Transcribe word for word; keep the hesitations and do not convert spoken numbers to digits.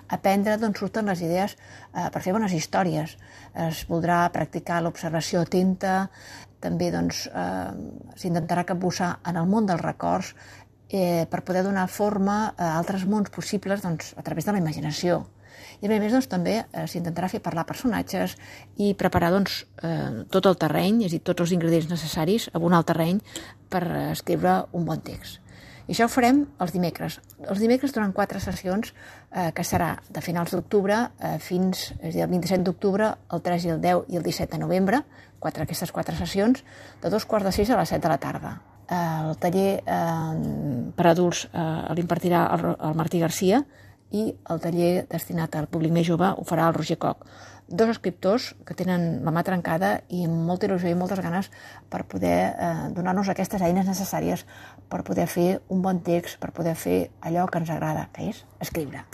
aprendre d'on surten les idees eh, per fer bones històries. Es voldrà practicar l'observació atenta, també doncs, eh, s'intentarà capbussar en el món dels records eh, per poder donar forma a altres mons possibles doncs, a través de la imaginació. I a més doncs, també eh, s'intentarà fer parlar personatges i preparar doncs, eh, tot el terreny, és a dir, tots els ingredients necessaris, abonar el terreny per escriure un bon text. I això ho farem els dimecres. Els dimecres durant quatre sessions, eh, que serà de finals d'octubre eh, fins és a dir, el vint-i-set d'octubre, el tres i el deu i el disset de novembre, quatre, aquestes quatre sessions, de dos quarts de sis a les set de la tarda. Eh, el taller eh, per adults eh, l'impartirà el, el Martí Garcia i el taller destinat al públic més jove ho farà el Roger Koch. Dos escriptors que tenen la mà trencada i amb molta il·lusió i moltes ganes per poder eh, donar-nos aquestes eines necessàries per poder fer un bon text, per poder fer allò que ens agrada, que és escriure.